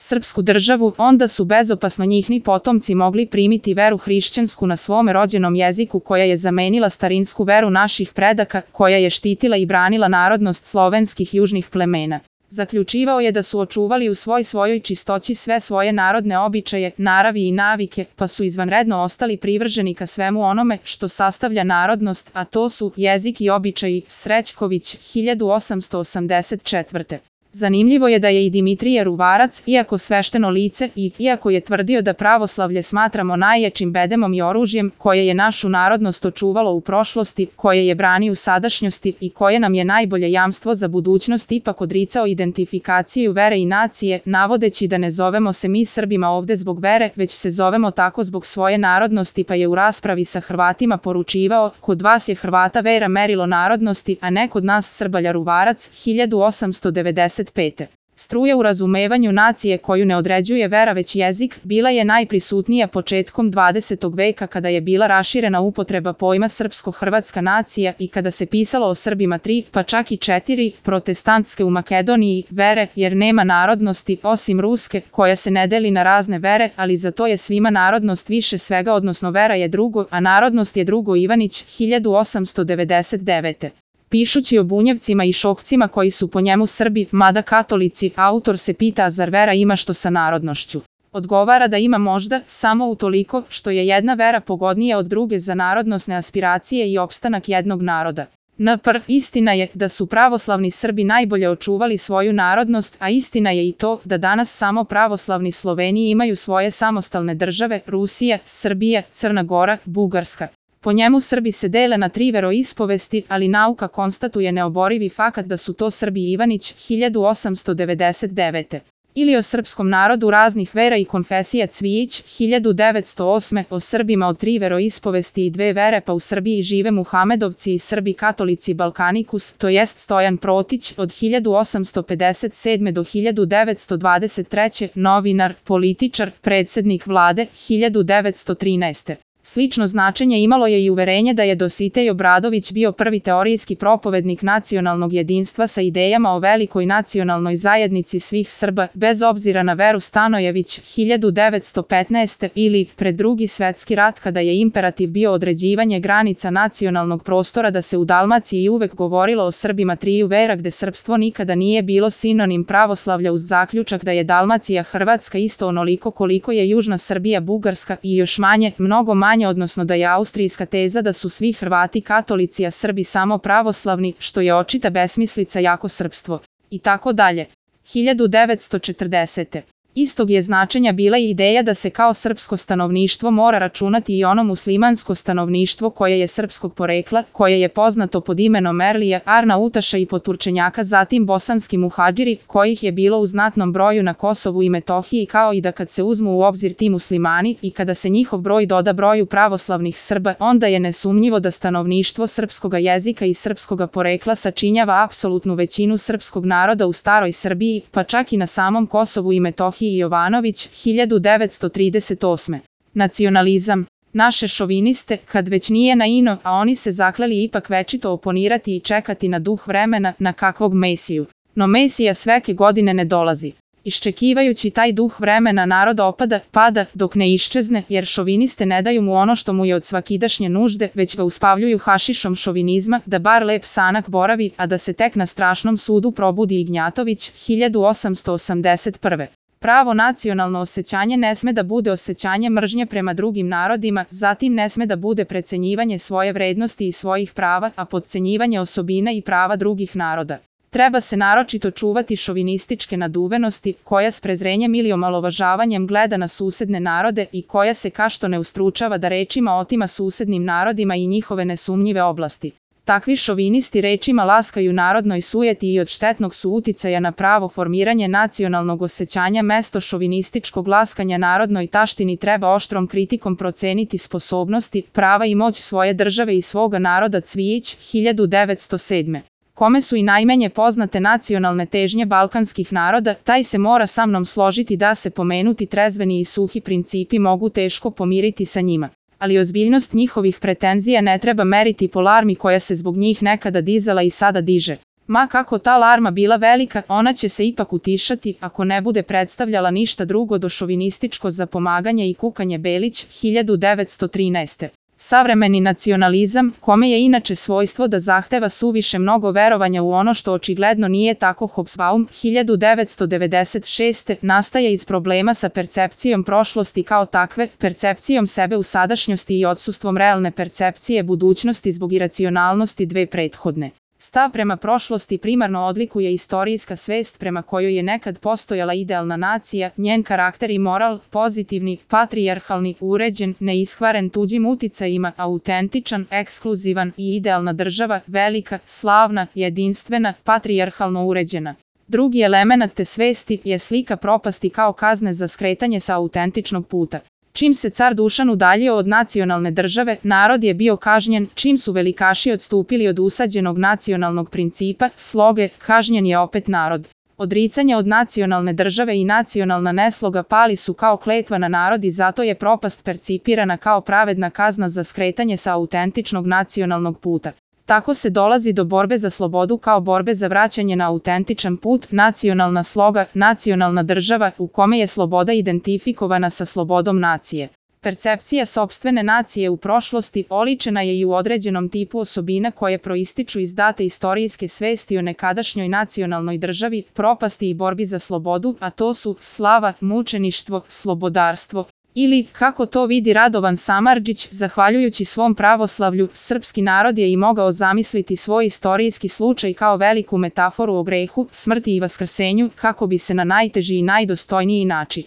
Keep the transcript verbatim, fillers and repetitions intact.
srpsku državu, onda su bezopasno njihni potomci mogli primiti veru hrišćansku na svome rođenom jeziku koja je zamenila starinsku veru naših predaka, koja je štitila i branila narodnost slovenskih južnih plemena. Zaključivao je da su očuvali u svoj svojoj čistoći sve svoje narodne običaje, naravi i navike, pa su izvanredno ostali privrženi ka svemu onome što sastavlja narodnost, a to su jezik i običaji. Srećković, hiljadu osamsto osamdeset četvrte. Zanimljivo je da je i Dimitrije Ruvarac, iako svešteno lice i iako je tvrdio da pravoslavlje smatramo najjačim bedemom i oružjem koje je našu narodnost očuvalo u prošlosti, koje je brani u sadašnjosti i koje nam je najbolje jamstvo za budućnost, ipak odricao identifikaciju vere i nacije, navodeći da ne zovemo se mi Srbima ovde zbog vere, već se zovemo tako zbog svoje narodnosti, pa je u raspravi sa Hrvatima poručivao: kod vas je Hrvata vera merilo narodnosti, a ne kod nas Srbalja. Ruvarac, hiljadu osamsto devedeset pete. Struja u razumevanju nacije koju ne određuje vera već jezik, bila je najprisutnija početkom dvadesetog veka kada je bila raširena upotreba pojma srpsko-hrvatska nacija i kada se pisalo o Srbima tri, pa čak i četiri, protestantske u Makedoniji, vere, jer nema narodnosti, osim ruske, koja se ne deli na razne vere, ali za to je svima narodnost više svega, odnosno vera je drugo, a narodnost je drugo. Ivanić, hiljadu osamsto devedeset devete. Pišući o bunjevcima i šokcima koji su po njemu Srbi, mada katolici, autor se pita zar vera ima što sa narodnošću. Odgovara da ima možda, samo utoliko što je jedna vera pogodnija od druge za narodnosne aspiracije i opstanak jednog naroda. N P R. Istina je da su pravoslavni Srbi najbolje očuvali svoju narodnost, a istina je i to da danas samo pravoslavni Sloveni imaju svoje samostalne države: Rusija, Srbija, Crna Gora, Bugarska. Po njemu Srbi se dele na tri veroispovesti, ali nauka konstatuje neoborivi fakat da su to Srbi. Ivanić, hiljadu osamsto devedeset devete. Ili o srpskom narodu raznih vera i konfesija. Cvijić, hiljadu devetsto osme. O Srbima od tri veroispovesti i dve vere, pa u Srbiji žive Muhamedovci i Srbi katolici. Balkanikus, to jest Stojan Protić, od hiljadu osamsto pedeset sedme do hiljadu devetsto dvadeset treće. Novinar, političar, predsednik vlade, hiljadu devetsto trinaeste. Slično značenje imalo je i uverenje da je Dositej Obradović bio prvi teorijski propovednik nacionalnog jedinstva sa idejama o velikoj nacionalnoj zajednici svih Srba, bez obzira na veru. Stanojević, hiljadu devetsto petnaeste. Ili pred Drugi svetski rat, kada je imperativ bio određivanje granica nacionalnog prostora, da se u Dalmaciji uvek govorilo o Srbima triju vera, gde srpstvo nikada nije bilo sinonim pravoslavlja, uz zaključak da je Dalmacija Hrvatska isto onoliko koliko je južna Srbija Bugarska i još manje, mnogo manje, odnosno da je austrijska teza da su svi Hrvati katolici, a Srbi samo pravoslavni, što je očita besmislica, jako srpstvo. I tako dalje. hiljadu devetsto četrdesete. Istog je značenja bila i ideja da se kao srpsko stanovništvo mora računati i ono muslimansko stanovništvo koje je srpskog porekla, koje je poznato pod imenom Merlija, Arnautaša i Poturčenjaka, zatim bosanski muhadžiri, kojih je bilo u znatnom broju na Kosovu i Metohiji, kao i da kad se uzmu u obzir ti muslimani i kada se njihov broj doda broju pravoslavnih Srba, onda je nesumnjivo da stanovništvo srpskoga jezika i srpskoga porekla sačinjava apsolutnu većinu srpskog naroda u staroj Srbiji, pa čak i na samom Kosovu i Metohiji. Jovanović, hiljadu devetsto trideset osme. Nacionalizam. Naše šoviniste, kad već nije na ino, a oni se zakleli ipak večito oponirati i čekati na duh vremena, na kakvog Mesiju. No Mesija sveke godine ne dolazi. Iščekivajući taj duh vremena, narod opada, pada, dok ne iščezne, jer šoviniste ne daju mu ono što mu je od svakidašnje nužde, već ga uspavljuju hašišom šovinizma, da bar lep sanak boravi, a da se tek na strašnom sudu probudi. Ignjatović, hiljadu osamsto osamdeset prve. Pravo nacionalno osjećanje ne sme da bude osjećanje mržnje prema drugim narodima, zatim ne sme da bude precenjivanje svoje vrednosti i svojih prava, a podcenjivanje osobina i prava drugih naroda. Treba se naročito čuvati šovinističke naduvenosti, koja s prezrenjem ili omalovažavanjem gleda na susedne narode i koja se kašto ne ustručava da rečima otima susednim narodima i njihove nesumnjive oblasti. Takvi šovinisti rečima laskaju narodnoj sujeti i od štetnog su uticaja na pravo formiranje nacionalnog osjećanja. Mesto šovinističkog laskanja narodnoj taštini treba oštrom kritikom proceniti sposobnosti, prava i moć svoje države i svoga naroda. Cvijić, hiljadu devetsto sedme. Kome su i najmanje poznate nacionalne težnje balkanskih naroda, taj se mora sa mnom složiti da se pomenuti trezveni i suhi principi mogu teško pomiriti sa njima. Ali ozbiljnost njihovih pretenzija ne treba meriti po larmi koja se zbog njih nekada dizala i sada diže. Ma kako ta larma bila velika, ona će se ipak utišati ako ne bude predstavljala ništa drugo do šovinističko zapomaganje i kukanje Belić, hiljadu devetsto trinaeste. Savremeni nacionalizam, kome je inače svojstvo da zahteva suviše mnogo verovanja u ono što očigledno nije tako, Hobsbawm, hiljadu devetsto devedeset šeste. nastaje iz problema sa percepcijom prošlosti kao takve, percepcijom sebe u sadašnjosti i odsustvom realne percepcije budućnosti zbog iracionalnosti dve prethodne. Stav prema prošlosti primarno odlikuje istorijska svest prema kojoj je nekad postojala idealna nacija, njen karakter i moral, pozitivni, patrijarhalni, uređen, neiskvaren tuđim uticajima, autentičan, ekskluzivan i idealna država, velika, slavna, jedinstvena, patrijarhalno uređena. Drugi element te svesti je slika propasti kao kazne za skretanje sa autentičnog puta. Čim se car Dušan udaljio od nacionalne države, narod je bio kažnjen, čim su velikaši odstupili od usađenog nacionalnog principa, sloge, kažnjen je opet narod. Odricanje od nacionalne države i nacionalna nesloga pali su kao kletva na narod i zato je propast percipirana kao pravedna kazna za skretanje sa autentičnog nacionalnog puta. Tako se dolazi do borbe za slobodu kao borbe za vraćanje na autentičan put, nacionalna sloga, nacionalna država u kome je sloboda identifikovana sa slobodom nacije. Percepcija sopstvene nacije u prošlosti oličena je i u određenom tipu osobina koje proističu iz date istorijske svesti o nekadašnjoj nacionalnoj državi, propasti i borbi za slobodu, a to su slava, mučeništvo, slobodarstvo. Ili, kako to vidi Radovan Samardžić, zahvaljujući svom pravoslavlju, srpski narod je i mogao zamisliti svoj istorijski slučaj kao veliku metaforu o grehu, smrti i vaskrsenju, kako bi se na najteži i najdostojniji način